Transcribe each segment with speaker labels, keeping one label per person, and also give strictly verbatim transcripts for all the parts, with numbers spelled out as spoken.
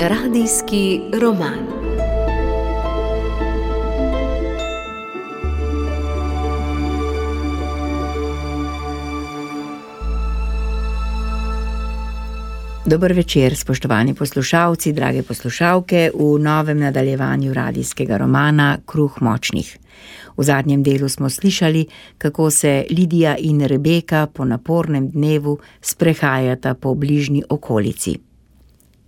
Speaker 1: Radijski roman. Dober večer, spoštovani poslušalci, drage poslušalke, v novem nadaljevanju radijskega romana Kruh močnih. V zadnjem delu smo slišali, kako se Lidija in Rebeka po napornem dnevu sprehajata po bližnji okolici.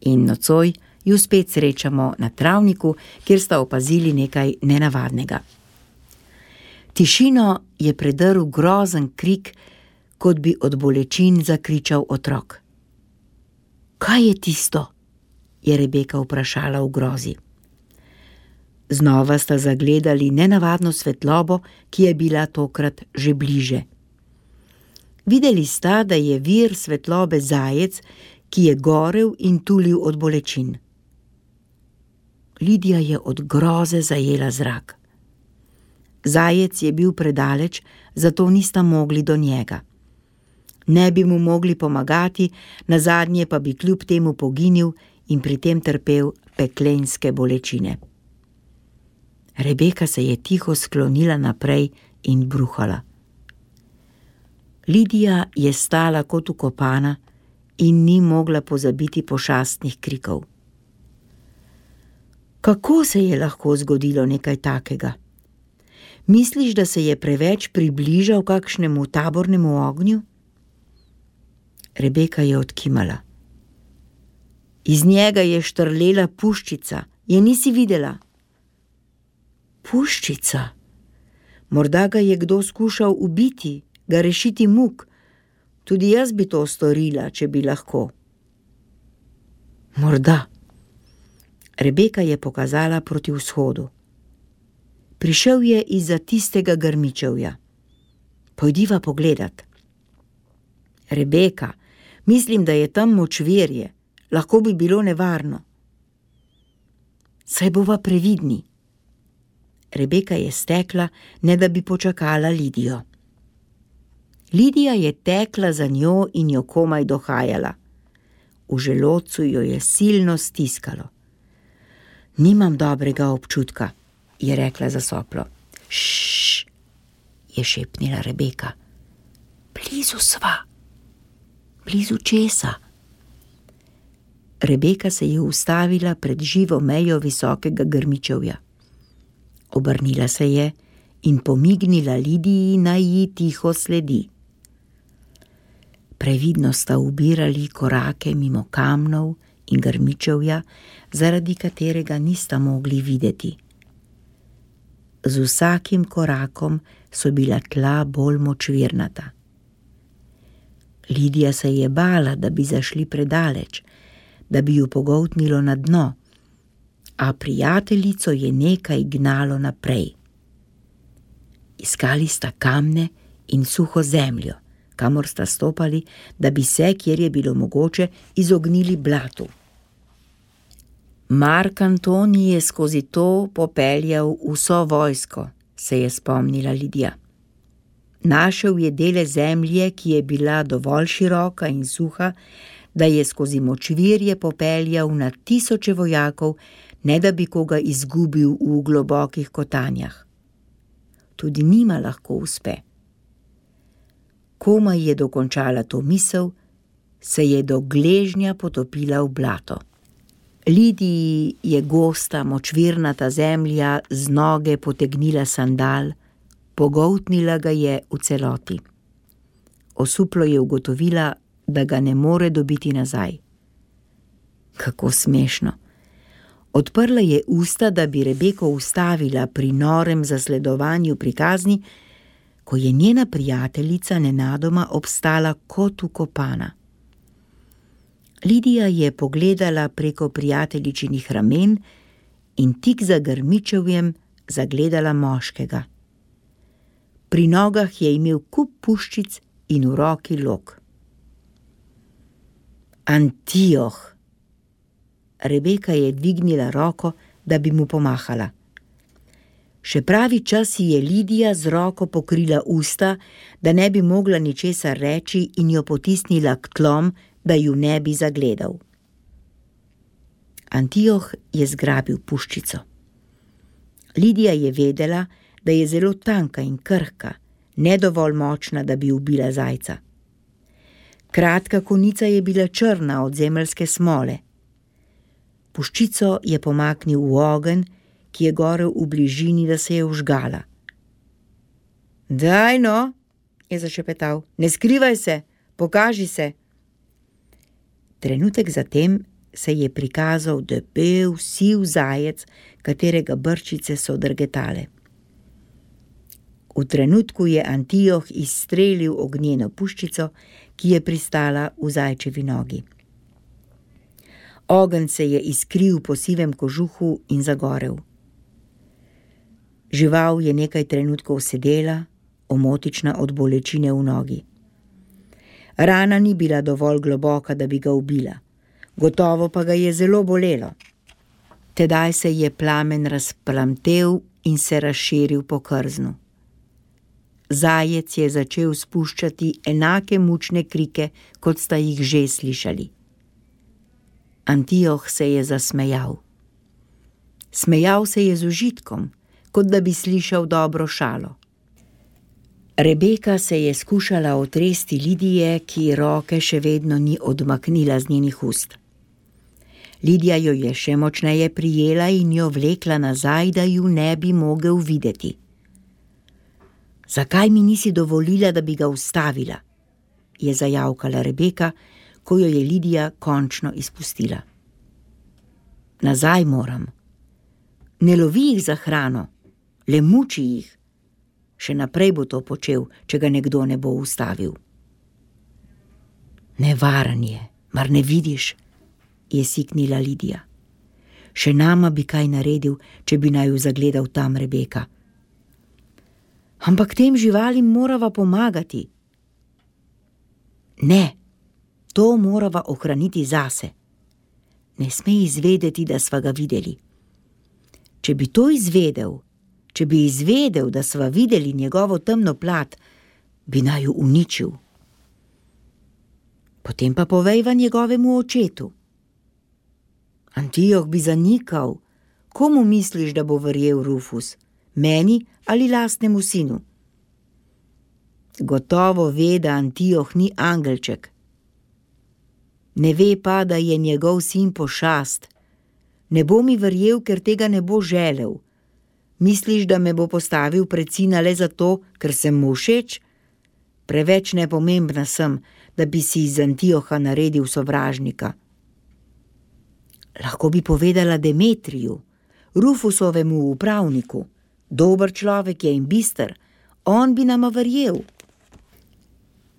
Speaker 1: In nocoj ju spet srečamo na travniku, kjer sta opazili nekaj nenavadnega. Tišino je predrl grozen krik, kot bi od bolečin zakričal otrok. Kaj je tisto? Je Rebeka vprašala v grozi. Znova sta zagledali nenavadno svetlobo, ki je bila tokrat že bliže. Videli sta, da je vir svetlobe zajec, ki je gorel in tulil od bolečin. Lidija je od groze zajela zrak. Zajec je bil predaleč, zato nista mogli do njega. Ne bi mu mogli pomagati, nazadnje pa bi kljub temu poginil in pri tem trpel peklenske bolečine. Rebeka se je tiho sklonila naprej in bruhala. Lidija je stala kot vkopana in ni mogla pozabiti pošastnih krikov. Kako se je lahko zgodilo nekaj takega? Misliš, da se je preveč približal kakšnemu tabornemu ognju? Rebeka je odkimala. Iz njega je štrlela puščica, je nisi videla? Puščica? Morda ga je kdo skušal ubiti, ga rešiti muk. Tudi jaz bi to storila, če bi lahko. Morda. Rebeka je pokazala proti vzhodu. Prišel je izza tistega grmičevja. Pojdiva pogledat. Rebeka, mislim, da je tam močvirje. Lahko bi bilo nevarno. Saj bova previdni. Rebeka je stekla, ne da bi počakala Lidijo. Lidija je tekla za njo in jo komaj dohajala. V želodcu jo je silno stiskalo. Nimam dobrega občutka, je rekla zasoplo. Šš, je šepnila Rebeka. Blizu sva. Blizu česa? Rebeka se je ustavila pred živo mejo visokega grmičevja. Obrnila se je in pomignila Lidiji, naj ji tiho sledi. Previdno sta ubirali korake mimo kamnov in grmičevja, zaradi katerega nista mogli videti. Z vsakim korakom so bila tla bolj močvirnata. Lidija se je bala, da bi zašli predaleč, da bi ju pogoltnilo na dno, a prijateljico je nekaj gnalo naprej. Iskali sta kamne in suho zemljo, kamor sta stopali, da bi se, kjer je bilo mogoče, izognili blatu. Mark Antoni je skozi to popeljal vso vojsko, se je spomnila Lidija. Našel je dele zemlje, ki je bila dovolj široka in suha, da je skozi močvirje popeljal na tisoče vojakov, ne da bi koga izgubil v globokih kotanjah. Tudi njima lahko uspe. Komaj je dokončala to misel, se je do gležnja potopila v blato. Lidiji je gosta, močvirnata zemlja z noge potegnila sandal, pogoltnila ga je v celoti. Osuplo je ugotovila, da ga ne more dobiti nazaj. Kako smešno. Odprla je usta, da bi Rebeko ustavila pri norem zasledovanju prikazni, ko je njena prijateljica nenadoma obstala kot vkopana. Lidija je pogledala preko prijateljičinih ramen in tik za grmičevjem zagledala moškega. Pri nogah je imel kup puščic in v roki lok. Antioh! Rebeka je dvignila roko, da bi mu pomahala. Še pravi čas je Lidija z roko pokrila usta, da ne bi mogla ničesar reči in jo potisnila k tlom, da ju ne bi zagledal. Antioh je zgrabil puščico. Lidija je vedela, da je zelo tanka in krhka, ne dovolj močna, da bi ubila zajca. Kratka konica je bila črna od zemeljske smole. Puščico je pomaknil v ogenj, ki je gorel v bližini, da se je vžgala. Daj no, je zašepetal, ne skrivaj se, pokaži se. Trenutek zatem se je prikazal debel, siv zajec, katerega brčice so drgetale. V trenutku je Antioh izstrelil ognjeno puščico, ki je pristala v zajčevi nogi. Ogenj se je iskril po sivem kožuhu in zagorel. Žival je nekaj trenutkov sedela, omotična od bolečine v nogi. Rana ni bila dovolj globoka, da bi ga ubila. Gotovo pa ga je zelo bolelo. Tedaj se je plamen razplamtel in se razširil po krznu. Zajec je začel spuščati enake mučne krike, kot sta jih že slišali. Antioh se je zasmejal. Smejal se je z užitkom, kot da bi slišal dobro šalo. Rebeka se je skušala otresti Lidije, ki roke še vedno ni odmaknila z njenih ust. Lidija jo je še močneje prijela in jo vlekla nazaj, da ju ne bi mogel videti. Zakaj mi nisi dovolila, da bi ga ustavila? Je zajavkala Rebeka, ko jo je Lidija končno izpustila. Nazaj moram. Ne lovi jih za hrano, le muči jih. Še naprej bo to počel, če ga nekdo ne bo ustavil. Nevaren je, mar ne vidiš, je siknila Lidija. Še nama bi kaj naredil, če bi naju zagledal tam Rebeka. Ampak tem živalim morava pomagati. Ne, to morava ohraniti zase. Ne sme izvedeti, da sva ga videli. Če bi to izvedel, če bi izvedel, da sva videli njegovo temno plat, bi naju uničil. Potem pa povejva njegovemu očetu. Antioh bi zanikal. Komu misliš, da bo verjel Rufus? Meni ali lastnemu sinu? Gotovo ve, da Antioh ni angelček. Ne ve pa, da je njegov sin pošast. Ne bo mi verjel, ker tega ne bo želel. Misliš, da me bo postavil pred sina le zato, ker sem mu všeč? Preveč nepomembna sem, da bi si iz Antioha naredil sovražnika. Lahko bi povedala Demetriju, Rufusovemu upravniku. Dober človek je in bister, on bi nama verjel.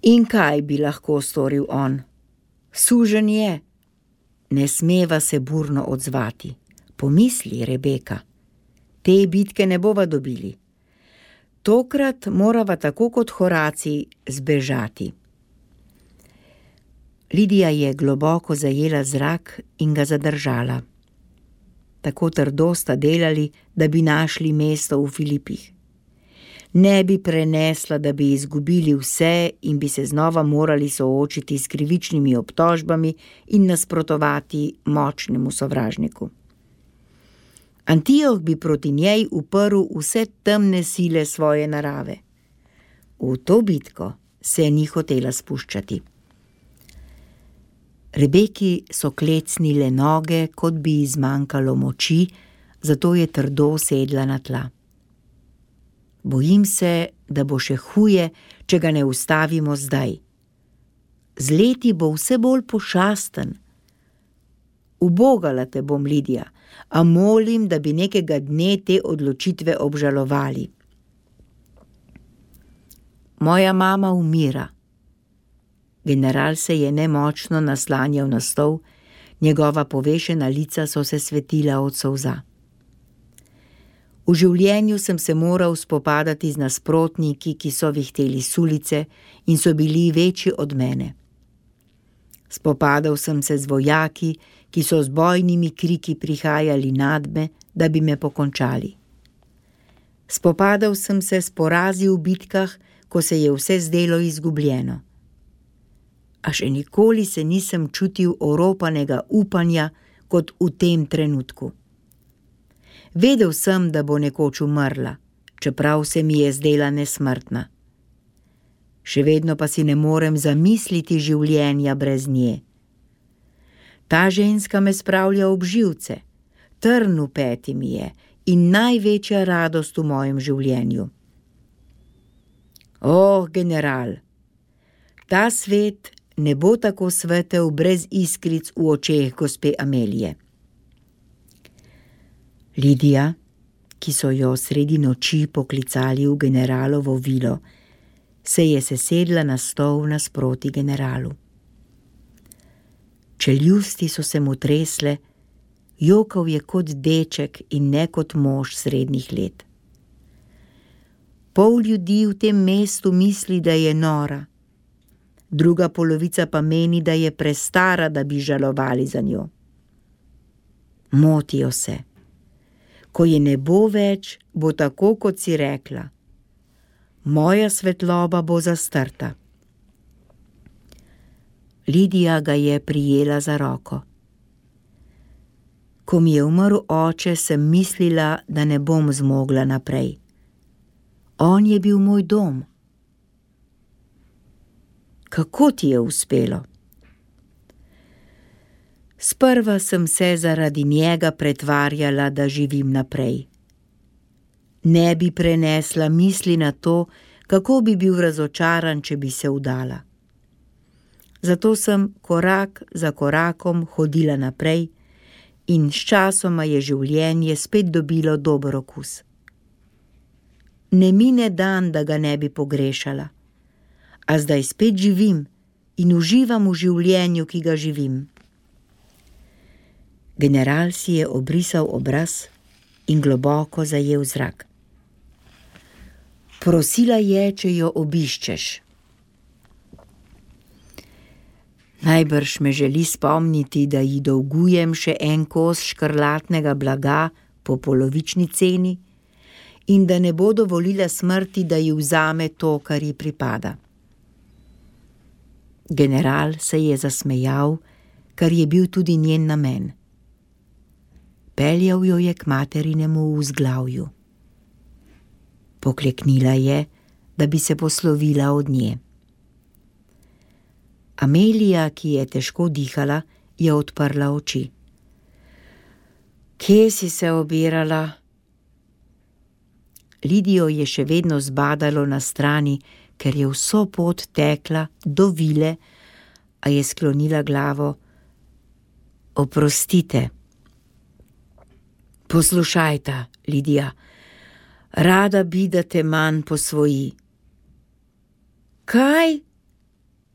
Speaker 1: In kaj bi lahko storil on? Suženj je. Ne smeva se burno odzvati. Pomisli, Rebeka. Te bitke ne bova dobili. Tokrat morava tako kot Horaci zbežati. Lidija je globoko zajela zrak in ga zadržala. Tako trdo sta delali, da bi našli mesto v Filipih. Ne bi prenesla, da bi izgubili vse in bi se znova morali soočiti s krivičnimi obtožbami in nasprotovati močnemu sovražniku. Antioh bi proti njej uprl vse temne sile svoje narave. V to bitko se ni hotela spuščati. Rebeki so klecnile noge, kot bi ji zmanjkalo moči, zato je trdo sedla na tla. Bojim se, da bo še huje, če ga ne ustavimo zdaj. Z leti bo vse bolj pošasten. Ubogala te bom, Lidija, a molim, da bi nekega dne te odločitve obžalovali. Moja mama umira. General se je nemočno naslanjal na stol, njegova povešena lica so se svetila od solza. V življenju sem se moral spopadati z nasprotniki, ki so vihteli sulice in so bili večji od mene. Spopadal sem se z vojaki, ki so z bojnimi kriki prihajali nad me, da bi me pokončali. Spopadal sem se s porazi v bitkah, ko se je vse zdelo izgubljeno. A še nikoli se nisem čutil oropanega upanja kot v tem trenutku. Vedel sem, da bo nekoč umrla, čeprav se mi je zdela nesmrtna. Še vedno pa si ne morem zamisliti življenja brez nje. Ta ženska me spravlja ob živce, trn v peti mi je in največja radost v mojem življenju. Oh, general, ta svet ne bo tako svetel brez iskric v očeh gospe Amelije. Lidija, ki so jo sredi noči poklicali v generalovo vilo, se je sesedla na stol nasproti generalu. Čeljusti so se mu tresle, jokal je kot deček in ne kot mož srednjih let. Pol ljudi v tem mestu misli, da je nora, druga polovica pa meni, da je prestara, da bi žalovali za njo. Motijo se. Ko je ne bo več, bo tako, kot si rekla. Moja svetloba bo zastrta. Lidija ga je prijela za roko. Ko mi je umrl oče, sem mislila, da ne bom zmogla naprej. On je bil moj dom. Kako ti je uspelo? Sprva sem se zaradi njega pretvarjala, da živim naprej. Ne bi prenesla misli na to, kako bi bil razočaran, če bi se vdala. Zato sem korak za korakom hodila naprej in sčasoma je življenje spet dobilo dober okus. Ne mine dan, da ga ne bi pogrešala, a zdaj spet živim in uživam v življenju, ki ga živim. General si je obrisal obraz in globoko zajel zrak. Prosila je, če jo obiščeš. Najbrž me želi spomniti, da ji dolgujem še en kos škrlatnega blaga po polovični ceni in da ne bo dovolila smrti, da ji vzame to, kar ji pripada. General se je zasmejal, kar je bil tudi njen namen. Peljal jo je k materinemu vzglavju. Pokleknila je, da bi se poslovila od nje. Amelija, ki je težko dihala, je odprla oči. Kje si se obirala? Lidijo je še vedno zbadalo na strani, ker je vso pot tekla do vile, a je sklonila glavo. Oprostite. Poslušajta, Lidija, rada bi, da te manj posvoji. Kaj?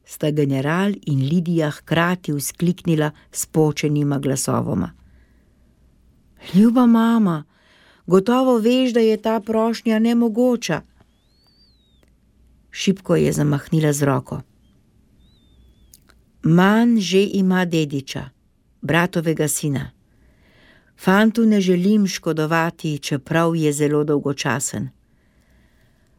Speaker 1: Sta general in Lidija hkrati vzkliknila s počenima glasovoma. Ljuba mama, gotovo veš, da je ta prošnja nemogoča. Šibko je zamahnila z roko. Man že ima dediča, bratovega sina. Fantu ne želim škodovati, čeprav je zelo dolgočasen.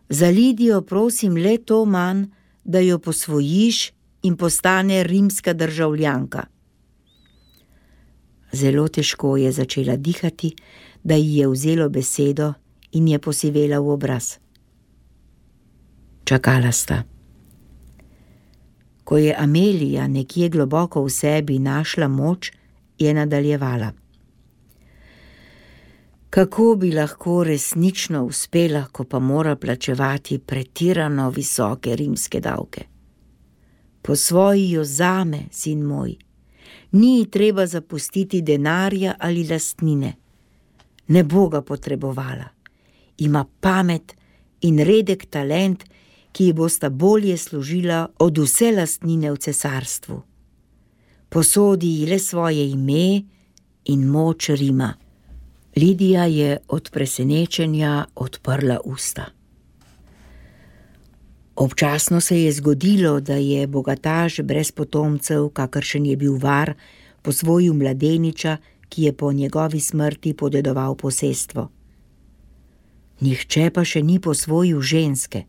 Speaker 1: Za Lidijo prosim le to manj, da jo posvojiš in postane rimska državljanka. Zelo težko je začela dihati, da ji je vzelo besedo in je posivela v obraz. Čakala sta. Ko je Amelija nekje globoko v sebi našla moč, je nadaljevala. Kako bi lahko resnično uspela, ko pa mora plačevati pretirano visoke rimske davke? Posvoji jo zame, sin moj. Ni ji treba zapustiti denarja ali lastnine. Ne bo ga potrebovala. Ima pamet in redek talent, ki ji bosta bolje služila od vse lastnine v cesarstvu. Posodi ji le svoje ime in moč Rima. Lidija je od presenečenja odprla usta. Občasno se je zgodilo, da je bogataš brez potomcev, kakršen je bil Var, posvojil mladeniča, ki je po njegovi smrti podedoval posestvo. Nihče pa še ni posvojil ženske.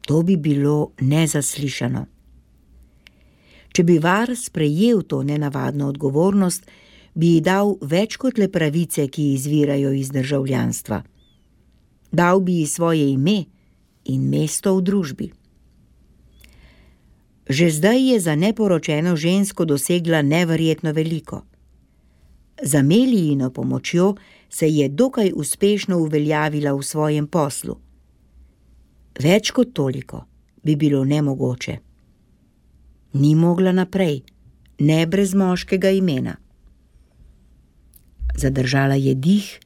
Speaker 1: To bi bilo nezaslišano. Če bi Var sprejel to nenavadno odgovornost, bi ji dal več kot le pravice, ki izvirajo iz državljanstva. Dal bi ji svoje ime in mesto v družbi. Že zdaj je za neporočeno žensko dosegla neverjetno veliko. Z Amelijino pomočjo se je dokaj uspešno uveljavila v svojem poslu. Več kot toliko bi bilo nemogoče. Ni mogla naprej, ne brez moškega imena. Zadržala je dih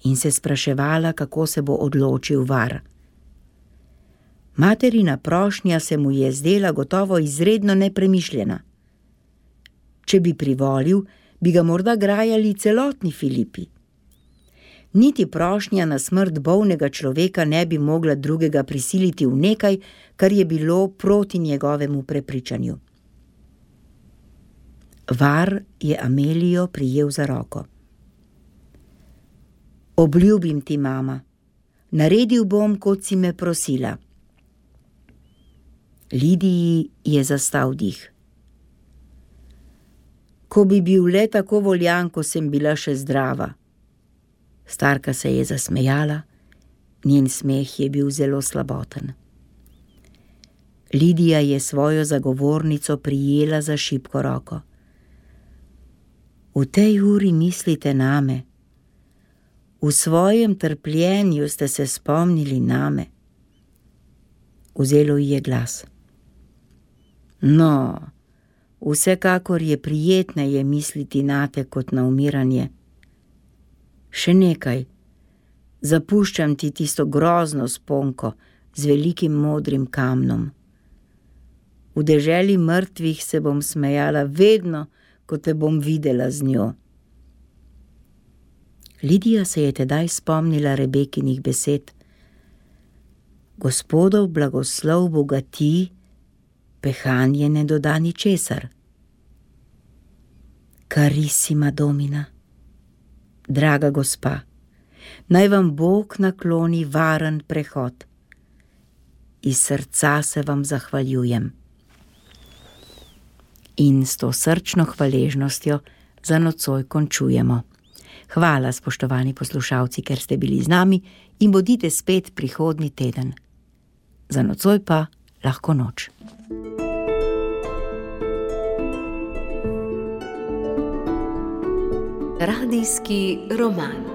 Speaker 1: in se spraševala, kako se bo odločil Var. Materina prošnja se mu je zdela gotovo izredno nepremišljena. Če bi privolil, bi ga morda grajali celotni Filipi. Niti prošnja na smrt bolnega človeka ne bi mogla drugega prisiliti v nekaj, kar je bilo proti njegovemu prepričanju. Var je Amelijo prijel za roko. Obljubim ti, mama, naredil bom, kot si me prosila. Lidiji je zastal dih. Ko bi bil le tako voljan, ko sem bila še zdrava. Starka se je zasmejala, njen smeh je bil zelo slaboten. Lidija je svojo zagovornico prijela za šibko roko. V tej uri mislite name. V svojem trpljenju ste se spomnili name. Vzelo ji je glas. No, vsekakor je prijetneje misliti nate kot na umiranje. Še nekaj, zapuščam ti tisto grozno sponko z velikim modrim kamnom. V deželi mrtvih se bom smejala vedno, ko te bom videla z njo. Lidija se je tedaj spomnila Rebekinih besed. Gospodov blagoslov bogati, pehanje ne doda ničesar. Carissima domina, draga gospa, naj vam Bog nakloni varen prehod. Iz srca se vam zahvaljujem. In s to srčno hvaležnostjo za nocoj končujemo. Hvala, spoštovani poslušalci, ker ste bili z nami in bodite spet prihodnji teden. Za nocoj pa lahko noč.
Speaker 2: Radijski roman.